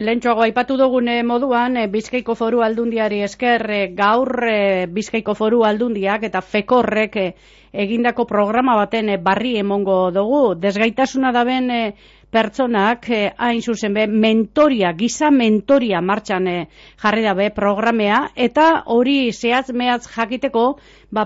Lehentxoago aipatu dugun moduan, Bizkaiko Foru Aldundiari esker gaur Bizkaiko Foru Aldundiak eta fekorrek egindako programa baten barri emongo dugu. Desgaitasuna daben pertsonak hain zuzen giza mentoria martxan jarri dabe programea, eta hori zehatz mehatz jakiteko,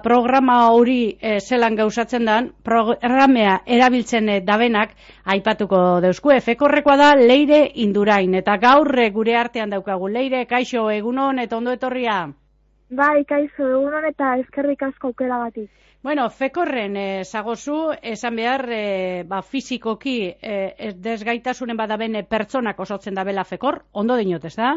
programa hori zelan gauzatzen dan, programea erabiltzen dabenak aipatuko deuzkue. Fekorrekoa da Leire Indurain, eta gaur gure artean daukagu. Leire, kaixo, egunon eta ondo etorria? Bai, kaixo, egunon eta eskerrik asko aukeragatik. Bueno, fekorren zagozu, esan behar, fizikoki desgaitasunen badaben pertsonak osotzen dabela fekor, ondo dinot, ez da?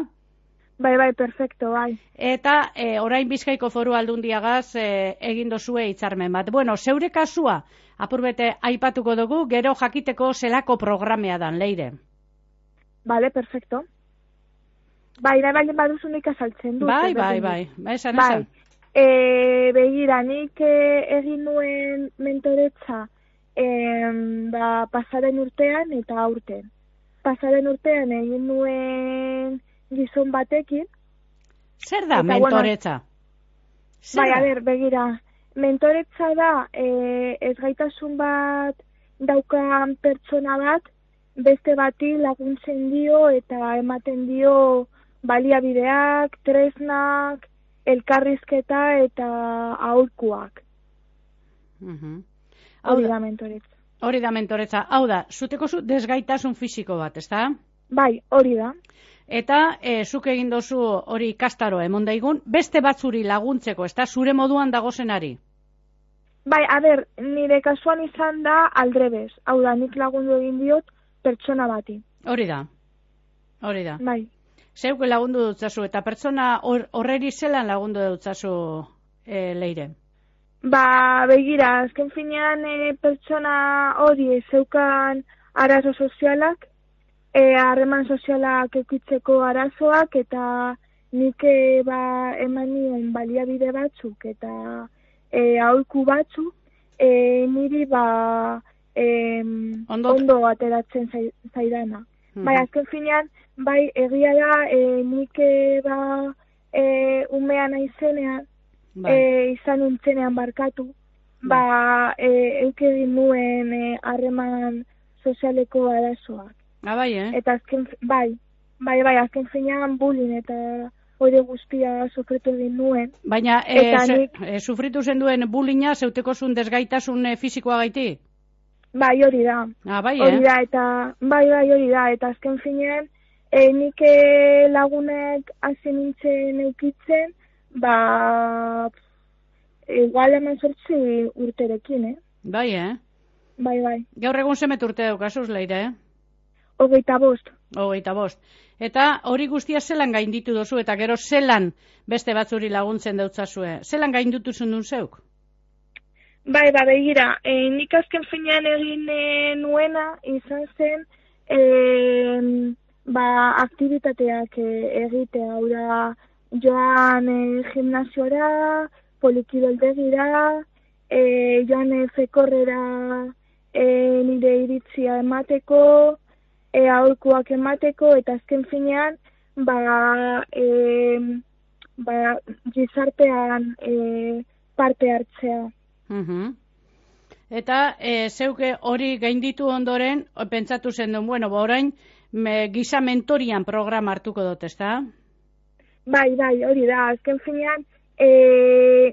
Bai, perfecto, bai. Eta orain Bizkaiko Foru Aldundiagaz egin dozue hitzarmen bat. Bueno, zeure kasua, apurbete aipatuko dugu, gero jakiteko zelako programea dan, Leire. Bale, perfecto. Bai, baldin baduzu nik azaltzen dut. Bai, esan. Begira, nik egin nuen mentoretza pasaren urtean eta aurten. Pasaren urtean egin nuen gizon batekin. Zer da mentoretza? Begira, mentoretza da ezgaitasun bat daukan pertsona bat, beste bati laguntzen dio eta ematen dio baliabideak, tresnak, elkarrizketa eta aholkuak. Hori da mentoretza. Hori da mentoretza. Hau da, zuteko desgaitasun fisiko bat, ez da? Bai, hori da. Eta zuk egin dozu hori ikastaro emon daigun, beste batzuri laguntzeko, ez da, zure moduan dagozenari? Bai, nire kasuan izan da aldrebez. Hau da, nik lagundu egin diot pertsona bati. Hori da. Bai. Zeuk lagundu dutzazu, eta pertsona horreri zelan lagundu dutzazu, Leire? Begira, azken finean pertsona hori zeukan arazo sozialak, harreman sozialak eukitzeko arazoak, eta nik eman nion baliabide batzuk eta aholku batzuk, niri ondo ateratzen zaidana. Bai, azken finean, bai, egia da, nik umean aizenean, izan nintzenean barkatu, eukegin nuen harreman sozialeko arazoak. Bai, Eta azken, azken finean bullying eta hori guztia sufritu egin nuen. Baina, sufritu zen duen bullyinga zeuteko zuen desgaitasun fisikoa gaiti? Bai, hori da. Hori da, eta azken finean, nik lagunek hasi nintzen eukitzen, igual hemen 8 urterekin, Bai, Bai. Gaur egun zemet urte daukazuz, Leire, 25. 25. Eta hori guztia zelan gainditu dozu, eta gero zelan beste batzuri laguntzen dautzazue? Zelan gainditu zundun zeuk? Bai, begira, nik azken finean egin nuena izan zen aktibitateak egitea, hau da, joan gimnasiora, polikiroldegira, joan fekorrera nire iritzia emateko, aholkuak emateko, eta azken finean, gizartean parte hartzea. Eta zeuke hori gainditu ondoren, pentsatu zen duen, orain giza mentorian programa hartuko dut, ez da? Bai, hori da. Azken finean,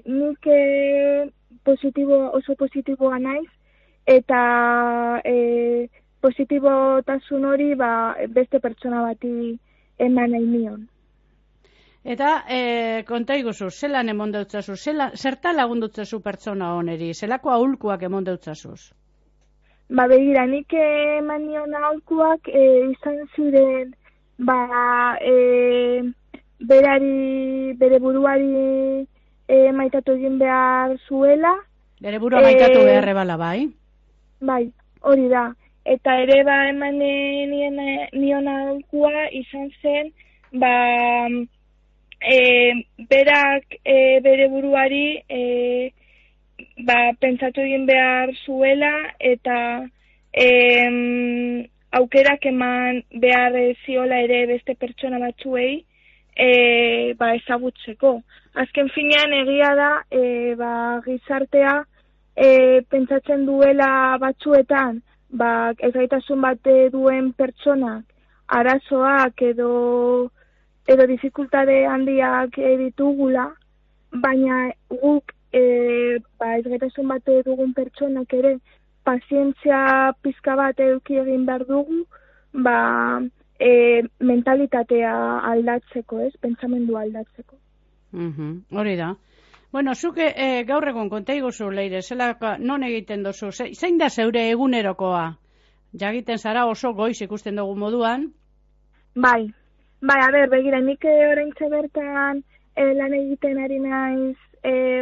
nik oso positiboa naiz, eta positibotasun hori beste pertsona bati eman nahi nion. Eta konta iguzu, zelan emon deutzazu, zerta lagundutzazu pertsona honeri, zelako aholkuak emon deutzazuz? Begira, nik eman nion aholkuak izan ziren, bere buruari maitatu egin behar zuela. Bere burua maitatu beharre bala, bai? Bai, hori da. Eta ere eman nion aholkua izan zen, berak bere buruari pentsatu egin behar zuela eta aukerak eman behar ziola ere beste pertsona batzuei ezagutzeko. Azken finean egia da gizartea pentsatzen duela batzuetan ezgaitasun bat duen pertsonak arazoak edo dificultade handiak ditugula, baina guk ezgaitasun bat dugun pertsonak ere pazientzia pizka bat eduki egin behar dugu, mentalitatea aldatzeko, pentsamendua aldatzeko. Hori da. Bueno, zuk gaur egon konta iguzu, Leire, non egiten dozu? Zein da zeure egunerokoa? Jagiten zara oso goiz ikusten dugu moduan? Bai, begira, nik oraintxe bertan lan egiten ari naiz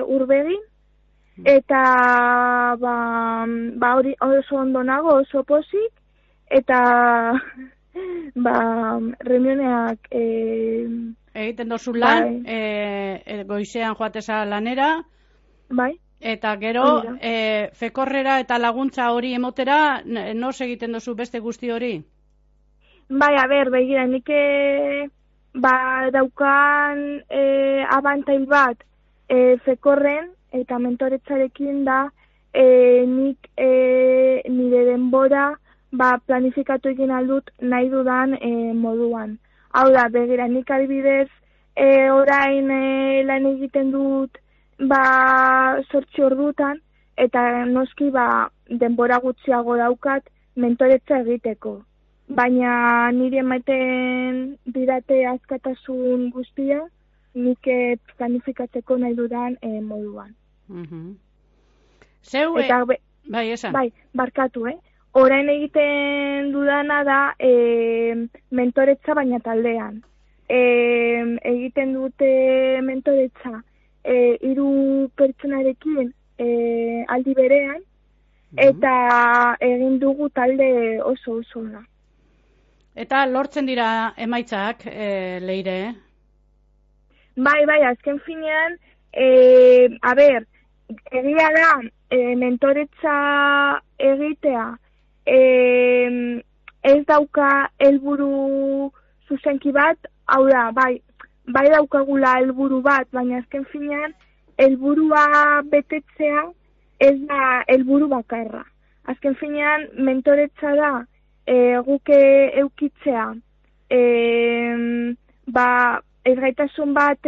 Urbegin, eta hori oso ondo nago, oso pozik, eta reunioneak egiten dozu lan, goizean joateza lanera, bai, eta gero fekorrera eta laguntza hori emotera, noz egiten dozu beste guzti hori? Bai, begira, nik daukan abantail bat fekorren eta mentoretzarekin da nik nire denbora planifikatu egin aldut nahi dudan moduan. Hau da, begira, nik adibidez orain lan egiten dut 8 ordutan eta noski denbora gutxiago daukat mentoretza egiteko. Baina nire ematen didate askatasun guztia nik planifikatzeko nahi dudan moduan. Zeu, bai, esan. Bai, barkatu, Orain egiten dudana da mentoretza baina taldean. Egiten dute mentoretza 3 pertsonarekin aldi berean, eta egin dugu talde oso da. Eta lortzen dira emaitzak, Leire? Bai, azken finean, egia da, mentoretza egitea, ez dauka helburu zuzenki bat, hau da, bai daukagula helburu bat, baina azken finean, helburua betetzea ez da helburu bakarra. Azken finean, mentoretza da, guke eukitzea, ezgaitasun bat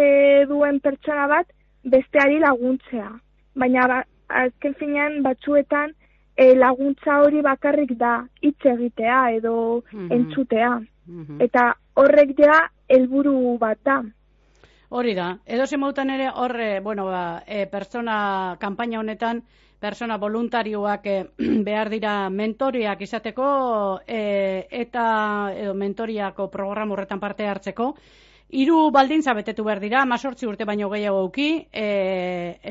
duen pertsona bat besteari laguntzea. Baina azken finean batzuetan laguntza hori bakarrik da hitz egitea edo entzutea. Eta horrek ja helburu bat da. Hori da. Edo zemautan ere pertsona kanpaina honetan pertsona voluntarioak behar dira mentoriak izateko eta mentoriako programa horretan parte hartzeko. 3 baldintza betetu behar dira, 18 urte baino gehiago euki,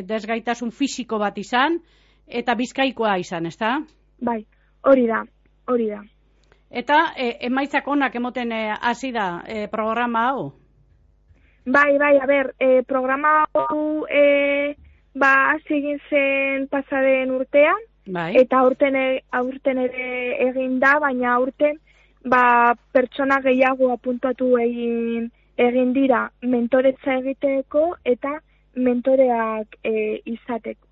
desgaitasun fisiko bat izan, eta bizkaikoa izan, ezta? Bai, hori da. Eta emaitzak onak emoten hasi da programa hau? Bai, programa hau hasi egin zen pasaden urtean, eta aurten ere egin da, baina aurten pertsona gehiago apuntatu egin dira mentoretza egiteko eta mentoreak izateko.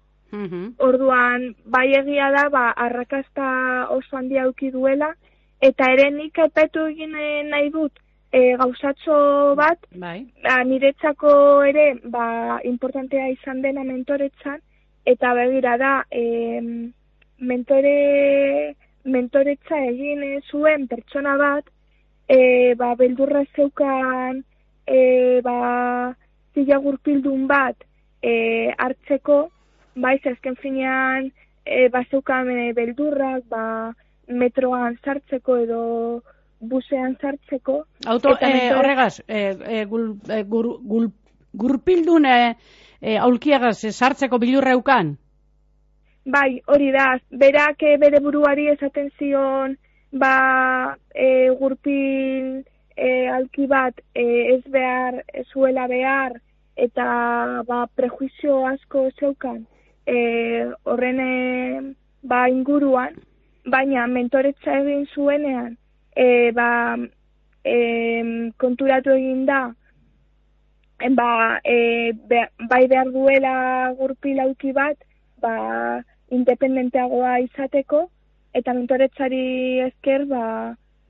Orduan, bai egia da, arrakasta oso handia eduki duela, eta ere nik aipatu egin nahi dut gauzatxo bat, niretzako ere importantea izan dena mentoretzan, eta begira da, mentoretza egin zuen pertsona bat, beldurra zeukan zila gurpildun bat hartzeko, azken finean zeukan beldurrak metroan sartzeko edo busean sartzeko. Horregaz, gurpildun aulkiagaz sartzeko bilurra eukan? Bai, hori da, berak bere buruari esaten zion gurpil alki bat ez zuela behar eta prejuizio asko zeukan horren inguruan, baina mentoretza egin zuenean konturatu egin da, bai behar duela gurpil auki bat, independenteagoa izateko, eta mentoretzari esker,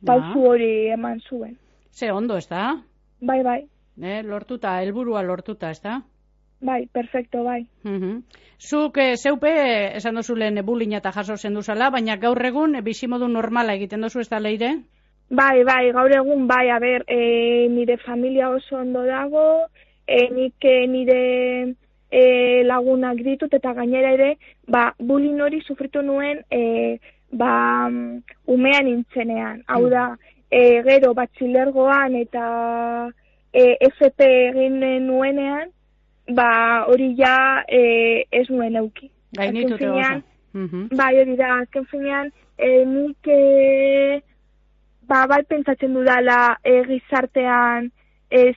pausu hori eman zuen. Ze ondo, ez da? Bai. Lortuta, helburua lortuta, ez da? Bai, perfecto, bai. Zuk zeupe, esan dozu lehen bullying eta jaso zenduzala, baina gaur egun bizimodu normala egiten dozu, ez da, Leire? Bai, gaur egun, nire familia oso ondo dago, nik nire lagunak ditut, eta gainera ere, bullying hori sufritu nuen, umean nintzenean. Hau da, gero batxilergoan eta FP egin nuenean, hori ja ez nuen euki. Gainitute oso. Bai, hori da, azken finean, nik bai pentsatzen dudala gizartean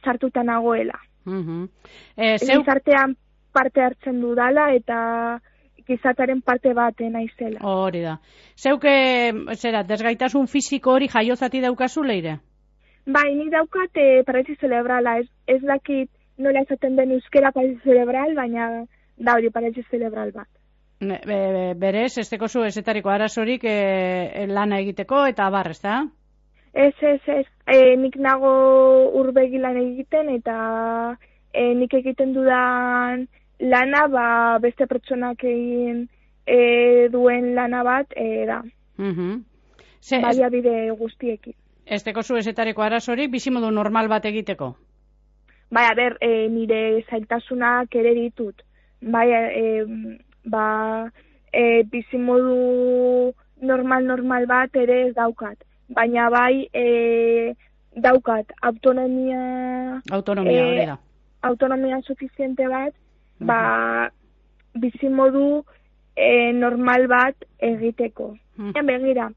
sartuta nagoela. Gizartean parte hartzen dudala eta gizartearen parte bat naizela. Hori da. Zeuk, desgaitasun fisiko hori jaiozati daukazu, Leire? Bai, nik daukat paralisi zerebrala, ez dakit nola esaten den euskera paralisi zerebral, baina da hori paralisi zerebral bat. Berez, ez tekozu ezetariko arazorik lana egiteko eta abar, ez da? Ez, nik nago urbegi lan egiten eta nik egiten dudan lana, beste pertsonak egin duen lana bat da. Baliabide guztiekin. Ez tekozu ezetariko arazorik bizimodu normal bat egiteko? Bai, nire zailtasunak ere ditut. Bai, bizimodu normal bat ere ez daukat. Baina bai, daukat autonomia hori da. Autonomia suficiente bat, bizimodu normal bat egiteko. Begira,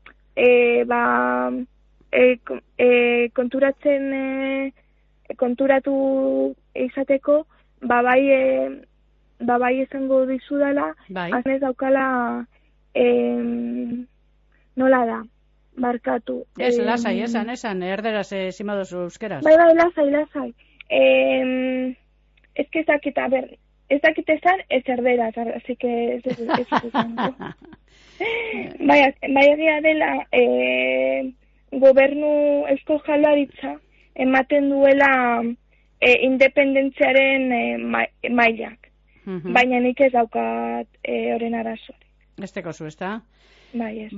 konturatu izateko, bai esango dizudala, aznez daukala, nola da, barkatu. Ez, lasai, esan, erderaz zimadozu euskeraz. Bai, lasai. Ez que ez dakit esan, ez erderaz, así que ez esan. Bai, egia dela, gobernu Eusko Jaurlaritza ematen duela independentziaren mailak. Baina nik ez daukat horren arazorik. Ez tekozu, ez da? Bai, ez.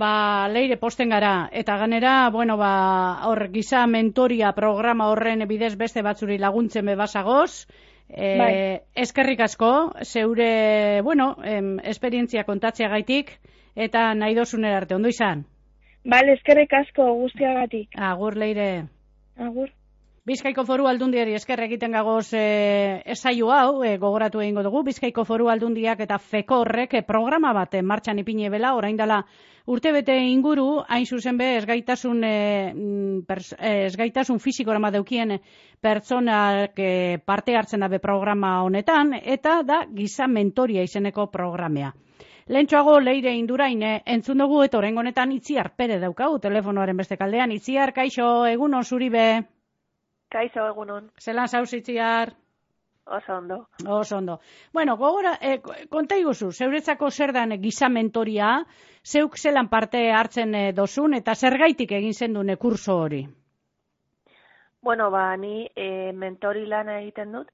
Leire, posten gara, eta ganera, hor giza mentoria programa horren bidez beste batzuri laguntzen bebasagoz, eskerrik asko, zeure, esperientzia kontatzeagaitik, eta nahi dozunera arte, ondo izan? Bale, eskerrik asko guztiagatik. Agur, Leire. Agur. Bizkaiko Foru Aldundiari esker egiten gagoz saio hau, gogoratu egingo dugu, Bizkaiko Foru Aldundiak eta FEKORrek programa bat martxan ipini bela, orain dela urtebete inguru, hain zuzen be, esgaitasun fisikora deukien pertsonak parte hartzen dabe programa honetan, eta da giza mentoria izeneko programea. Lehentxoago Leire Indurain entzun dugu, eta oraingo honetan Itziar Pere daukau, telefonoaren beste kaldean. Itziar, kaixo, egunon zuri be? Kaixo, egunon. Zelan zauz, Itziar? Oso ondo. Oso ondo. Bueno, gogora, konta iguzu, zeuretzako zer dan giza mentoria, zeuk zelan parte hartzen dozun, eta zergaitik egin zendune kurso hori? Bueno, ni mentori lana egiten dut,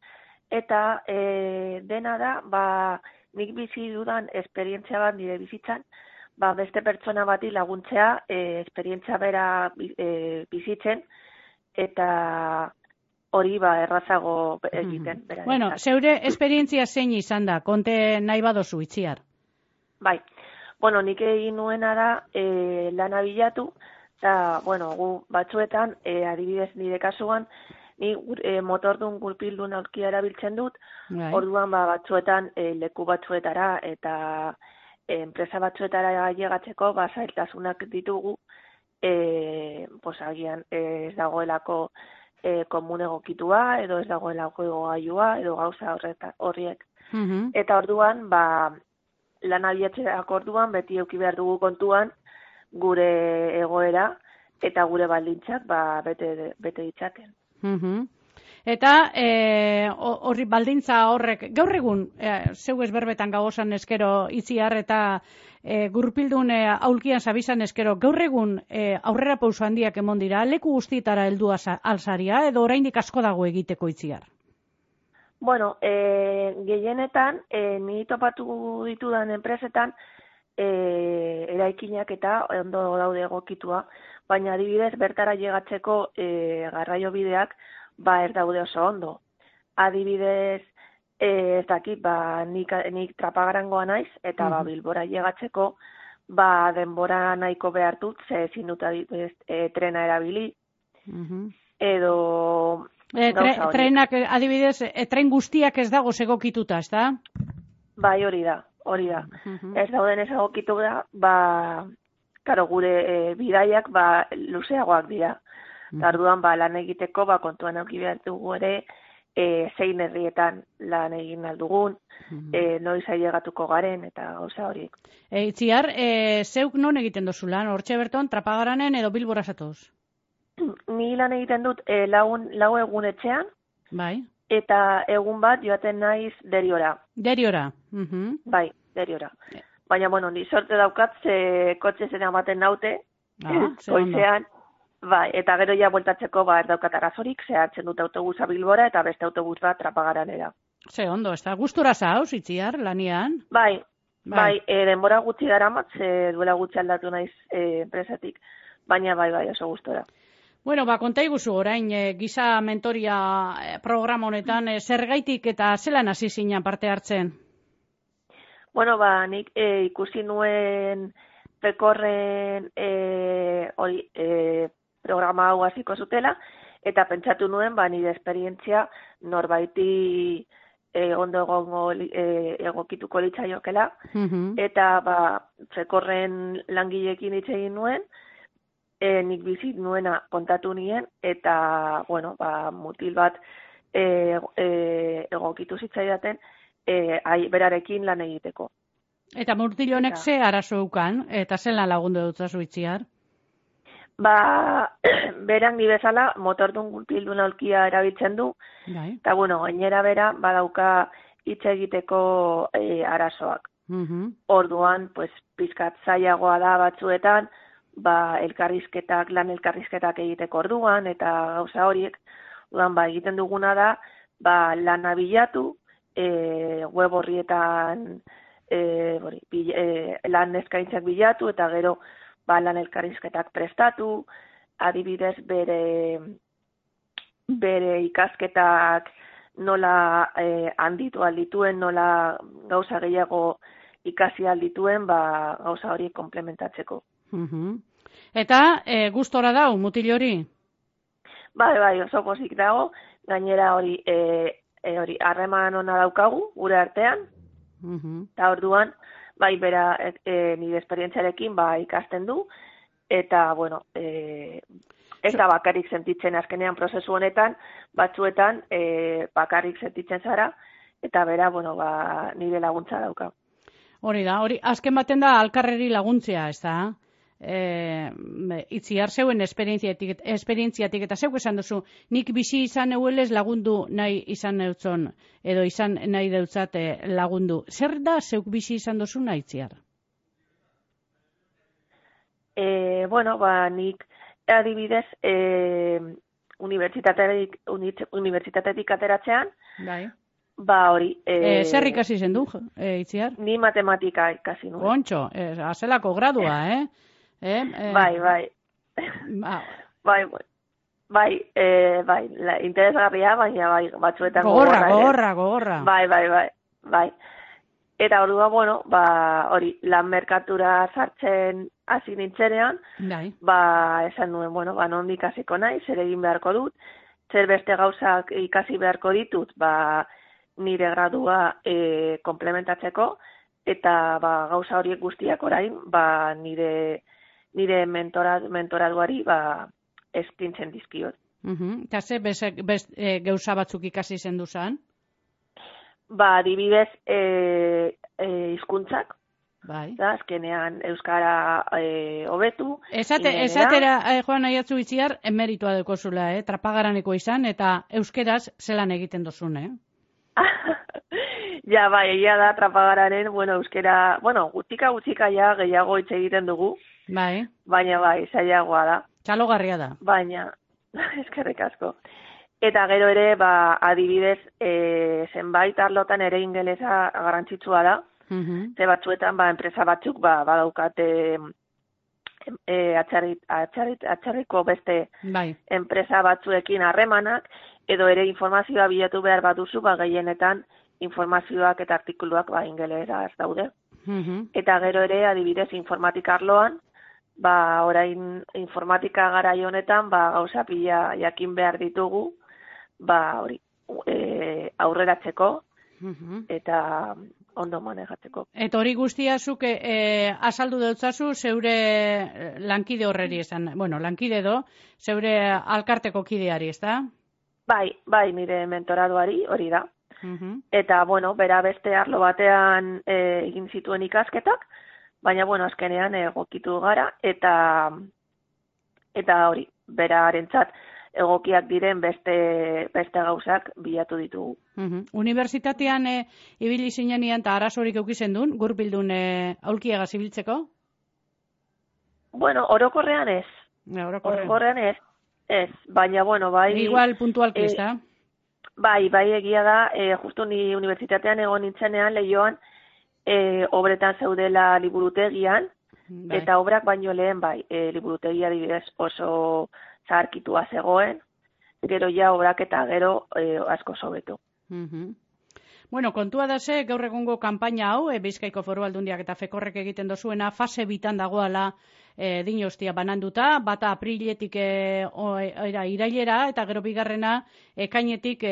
eta dena da, nik bizi dudan esperientzia bat nire bizitzan, beste pertsona bati laguntzea esperientzia bera bizitzen, eta hori errazago egiten. Bueno, zeure esperientzia zein izan da, konte nahi badozu, Itziar? Bai, nik egin nuena da lana bilatu, eta, gu batzuetan, adibidez nire kasuan, ni motordun gurpildun aurkia erabiltzen dut, orduan batzuetan leku batzuetara eta enpresa batzuetara llegatzeko zailtasunak ditugu, agian ez dagoelako komun egokitua, edo ez dagoelako egogailua, edo gauza horriek. Eta orduan, lan abiatzeak orduan, beti euki behar dugu kontuan gure egoera, eta gure baldintzak bete ditzaken. Eta horri baldintza horrek, gaur egun, zeu ezberbetan gauzoan eskero Itziar eta gurpildun aulkian zabizan eskero, gaur egun aurrera pauso handiak emon dira, leku guztietara heldu alzaria, edo oraindik asko dago egiteko Itziar? Bueno, gehienetan, ni topatu ditudan enpresetan, eraikinak eta ondo daude egokitua, baina adibidez bertara llegatzeko garraio bideak ez daude oso ondo. Adibidez, ez dakit, nik Trapagarangoa naiz, eta Bilbora llegatzeko, denbora nahiko behar dut, ze ezin dut trena erabili, edo trenak, adibidez, tren guztiak ez dago segokituta, ez da? Bai, hori da. Ez dauden ez egokitu da, karo, gure bidaiak luzeagoak dira. Tarduan, lan egiteko, kontuan auki behar dugu ere, zein herrietan lan egin aldugun, noiz ailegatuko garen, eta gauza horiek. Itziar, zeuk non egiten dozu lan? Hortxe berton, Trapagaranen edo Bilbora zatoz? Ni lan egiten dut lau egun etxean, bai. Eta egun bat joaten naiz Deriora. Deriora? Bai, Deriora. Baina, bueno, ni sorte daukat, ze kotxe zen amaten naute, goizean, bai, eta gero ja bueltatzeko ez daukat arazorik, ze hartzen dut autobusa Bilbora eta beste autobus bat Trapagaranera. Ze ondo, ez da, gustura zauz, Itziar, lanian? Bai, denbora gutxi daramat, ze duela gutxi aldatu naiz enpresatik, baina bai, oso gustora. Bueno, konta iguzu orain giza mentoria programa honetan, zergaitik eta zelan hasi zinen parte hartzen? Bueno, nik ikusi nuen Fekorren programa hau hasiko zutela, eta pentsatu nuen nire esperientzia norbaiti ondo egongo egokituko litzaiokela, eta Fekorren langileekin hitz egin nuen, nik bizit nuena kontatu nien, eta, bueno, mutil bat egokitu zitzaidaten, berarekin lan egiteko. Eta mutil honek ze arazo eukan, eta zelan lagundu dutzazu Itziar? Beran ni bezala, motordun gurpildun aulkia erabiltzen du, eta, bueno, gainera bera, badauka hitz egiteko arazoak. Orduan, pizkat zailagoa da batzuetan, lan elkarrizketak egiteko orduan, eta gauza horiek, egiten duguna da, lana bilatu, web horrietan lan eskaintzak bilatu, eta gero lan elkarrizketak prestatu, adibidez bere ikasketak nola handitu aldituen, nola gauza gehiago ikasi aldituen, gauza horiek komplementatzeko. Eta gustora dau, mutil hori? Bai, oso pozik dago, gainera hori harreman ona daukagu, gure artean, eta orduan, bera nire esperientziarekin ikasten du, eta, bueno, ez da bakarrik sentitzen azkenean prozesu honetan, batzuetan bakarrik sentitzen zara, eta bera, bueno, nire laguntza dauka. Hori da, azken baten da alkarreri laguntzea, ez da? Itziar zeuen esperientziatik eta zeuk esan duzu, nik bizi izan euelez lagundu nahi izan neutzon, edo izan nahi deutzat lagundu. Zer da zeuk bizi izan duzu nahi, Itziar? Bueno, nik adibidez unibertsitatetik ateratzean, hori. Zer ikasi zen du, Itziar? Ni matematika ikasi nuen. Kontxo, azelako gradua, Bai, interesgarria, baina batzuetan gogorra. Bai. Eta ordua, bueno, hori, lan merkatura sartzen hasi nintzenean, esan nuen, bueno, nondik hasiko nahi, zer egin beharko dut, zer beste gauzak ikasi beharko ditut, nire gradua komplementatzeko, eta gauza horiek guztiak orain, nire mentoraduari eskintzen dizkiot. Eta ze gauza batzuk ikasi zen duzan? Adibidez, hizkuntzak, Bai. Da, azkenean euskara hobetu. Esatera, Joan Aiatzu Itziar, emeritua dekozula, trapagaraneko izan, eta euskeraz zelan egiten dozun, Ja, bai, egia da, trapagararen, euskera, gutxika ja gehiago hitz egiten dugu. Bai. Baina bai, zailagoa da. Txalogarria da. Baina, eskerrik asko. Eta gero ere, adibidez, zenbait arlotan ere ingelesa garrantzitsua da. Ze batzuetan, enpresa batzuk, badaukate atxarriko beste enpresa batzuekin harremanak, edo ere informazioa bilatu behar baduzu, gehienetan informazioak eta artikuluak ingelesaz daude. Eta gero ere, adibidez, informatika arloan, orain informatika garai honetan, gauza pila jakin behar ditugu, hori, aurreratzeko, eta ondo manejatzeko. Eta hori guztia zuk azaldu deutzazu zeure lankide horreri esan, lankide zeure alkarteko kideari, ez da? Bai, nire mentoradoari hori da. Eta, bera beste arlo batean egin zituen ikasketak, baina, azkenean egokitu gara, eta hori, berarentzat egokiak diren beste gauzak bilatu ditugu. Unibertsitatean ibili zinean eta arazorik eukizen duen, gurbildun aulkiagaz ibiltzeko? Orokorrean ez. Orokorrean ez. Baina, bai... Igual puntualki ez da? Bai, egia da, justu ni unibertsitatean egon nintzenean, Leioan, obretan zeudela liburutegian, eta obrak baino lehen, liburutegia adibidez oso zaharkitua zegoen, gero ja obrak eta gero asko sobetu. Kontua da ze, gaur egungo kanpaina hau, Bizkaiko Foru Aldundiak eta Fekorrek egiten dozuena, fase bitan dagoala dinostia bananduta, bata apriletik irailera, eta gero bigarrena ekainetik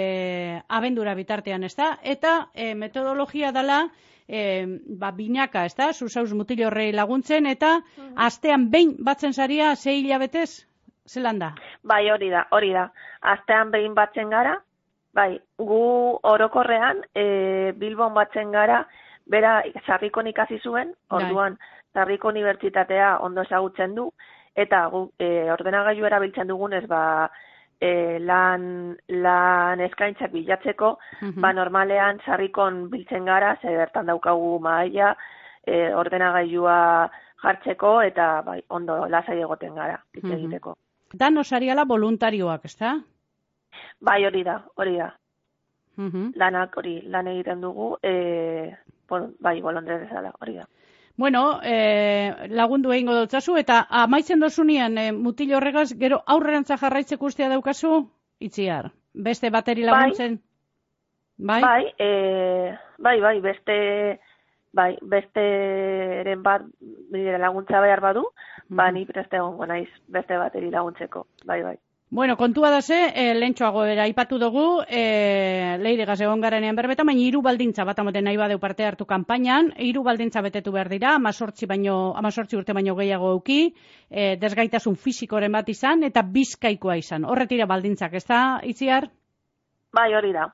abendura bitartean, ez da? Eta metodologia dela, binaka, ez da? Zuzauz mutil horrei laguntzen, eta astean behin batzen zaria 6 hilabetez? Zelan da? Bai, hori da. Astean behin batzen gara, gu orokorrean Bilbon batzen gara, bera Sarrikon ikasi zuen, orduan Sarriko Unibertsitatea ondo ezagutzen du, eta gu ordenagailu erabiltzen dugunez, lan eskaintzak bilatzeko, normalean Sarrikon biltzen gara, ze bertan daukagu mahaia, ordenagailua jartzeko, eta ondo lasai egoten gara, hitz egiteko. Dan osariala voluntarioak, ez da? Bai, hori da. Lanak hori, lan egiten dugu, bolondre bezala, hori da. Lagundu egingo dutzazu, eta amaitzen dozunean mutil horregaz, gero aurrerantza jarraitzeko ustea daukazu, Itziar? Beste bateri laguntzen? Bai, besteren bat laguntza behar badu, ni preste egongo naiz beste bateri laguntzeko, bai. Kontua da ze, lehentxoago aipatu dugu, Leiregaz egon garenean berbetan, baina 3 baldintza bat amoten nahi badeu parte hartu kanpainan, 3 baldintza betetu behar dira, 18 urte baino gehiago euki, desgaitasun fisikoren bat izan, eta Bizkaikoa izan. Horretira baldintzak, ez da, Itziar? Bai, hori da.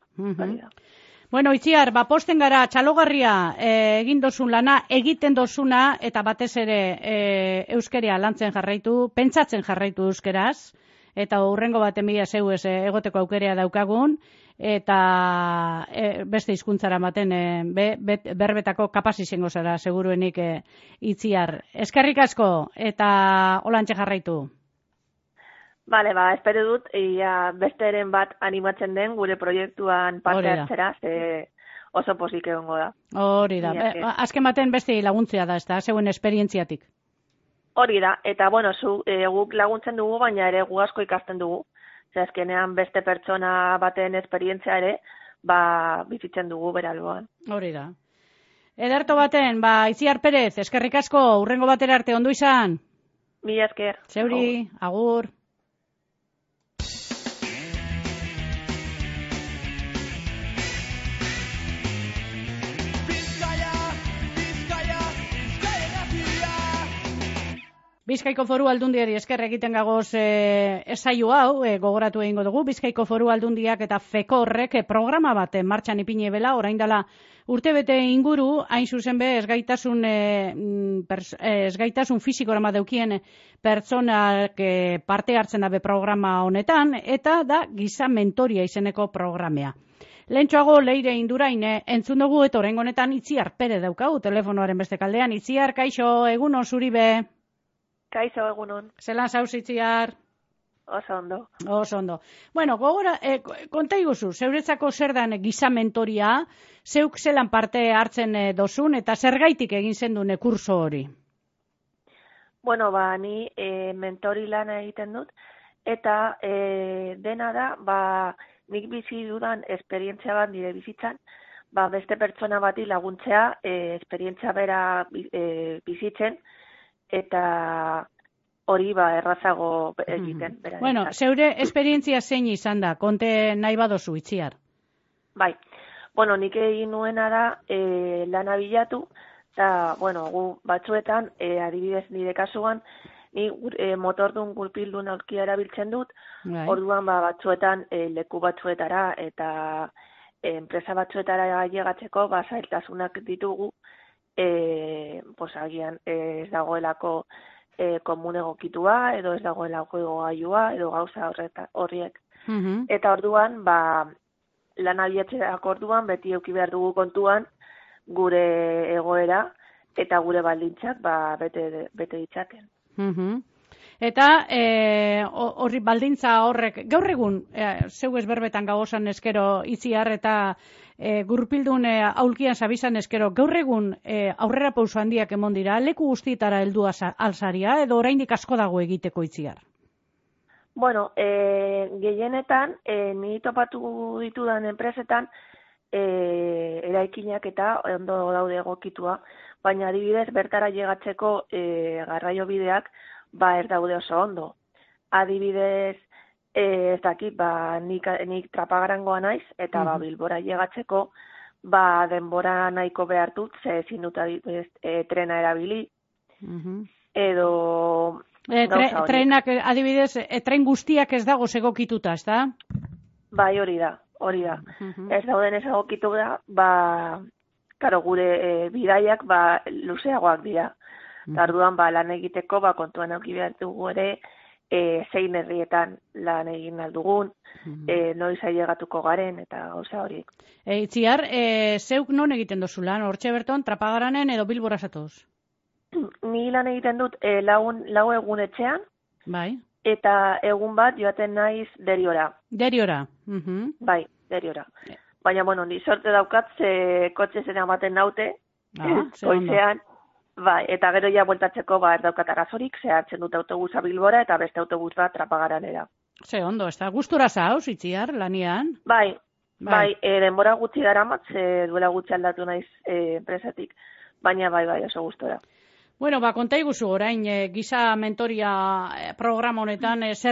Itziar, posten gara, txalogarria egin dozun lana, egiten dozuna, eta batez ere euskeria lantzen jarraitu, pentsatzen jarraitu euskeraz, eta hurrengo baten bila zeuez egoteko aukerea daukagun, eta beste hizkuntzara ematen berbetako kapaz izango zara, seguruenik Itziar. Eskerrik asko, eta holantxe jarraitu. Bale, espero dut, besteren bat animatzen den gure proiektuan parte hartzera, oso pozik egongo da. Hori da, azken baten beste laguntzea da, ez da, zeuen esperientziatik. Hori da, eta guk laguntzen dugu, baina ere gu asko ikasten dugu. Azkenean beste pertsona baten esperientzia ere, bizitzen dugu beralboan. Hori da. Ederto baten, Itziar Perez, eskerrik asko, hurrengo batera arte, ondo izan? Mila esker. Zeuri, agur. Bizkaiko Foru Aldundiari esker egiten gagoz esaio hau, gogoratu egingo dugu, Bizkaiko Foru Aldundiak eta fekorrek programa bat martxan ipini bela, orain dela urtebete inguru, hain zuzen be, ezgaitasun fisikora daukien pertsonak parte hartzen dabe programa honetan, eta da giza mentoria izeneko programea. Lehentxoago Leire Indurain entzun dugu, eta orain honetan Itziar Pere daukau, telefonoaren beste kaldean. Itziar, kaixo, egunon zuri be? Kaixo, egunon. Zelan zauz, Itziar? Oso ondo. Oso ondo. Bueno, gogora, konta iguzu, zeuretzako zer dan giza mentoria, zeuk zelan parte hartzen dozun, eta zergaitik egin zendun kurso hori? Bueno, ni mentori lana egiten dut, eta dena da, nik bizi dudan esperientzia bat nire bizitzan, beste pertsona bati laguntzea, esperientzia bera bizitzen, eta hori errazago egiten. Bueno, zeure esperientzia zein izan da, konte nahi badozu, Itziar? Bai, bueno, nik egin nuena da lana bilatu, eta, bueno, gu batzuetan, adibidez nire kasuan, ni motordun gurpildun aurkia erabiltzen dut, orduan batzuetan leku batzuetara eta enpresa batzuetara llegatzeko zailtasunak ditugu, agian ez dagoelako komun egokitua, edo ez dagoelako gailua, edo gauza horriek. Eta orduan, lan abiatzerako orduan, beti eduki behar dugu kontuan gure egoera eta gure baldintzak bete ditzaten. Eta horri baldintza horrek, gaur egun, zeu ezberbetan gagozan eskero Itziar eta gurpildun aulkian zabizan eskero, gaur egun aurrera pauso handiak emon dira, leku guztietara heldu alzaria, edo oraindik asko dago egiteko, Itziar? Bueno, gehienetan, ni topatu ditudan enpresetan, eraikinak eta ondo daude egokitua, baina adibidez bertara llegatzeko garraio bideak ez daude oso ondo. Adibidez, ez dakit, nik Trapagarangoa naiz, eta Bilbora llegatzeko denbora nahiko behar dut, ze ezin dut trena erabili, edo trenak, adibidez, tren guztiak ez dago segokituta, ez da? Bai, hori da. Ez dauden ez egokitu da, karo, gure bidaiak luzeagoak dira. Tarduan lan egiteko kontuan auki behar dugu ere zein herrietan lan egin aldugun, noiz ailegatuko garen eta gauza horiek. Itziar, zeuk non egiten dozu lan? Hortxe berton, Trapagaranen edo Bilbora zatoz? Ni lan egiten dut lau egun etxean, bai. Eta egun bat joaten naiz Deriora. Deriora? Bai, Deriora. Baina, bueno, ni sorte daukat, kotxe zen amaten naute, goizean, bai, eta gero ja bueltatzeko ez daukat arazorik, hartzen dut autobusa Bilbora eta beste autobus bat Trapagaranera. Ze ondo, ez da, gustura zauz, Itziar, lanian? Bai, denbora gutxi daramat, duela gutxi aldatu naiz enpresatik, baina bai, oso gustora. Bueno, konta iguzu orain, giza mentoria programa honetan, zer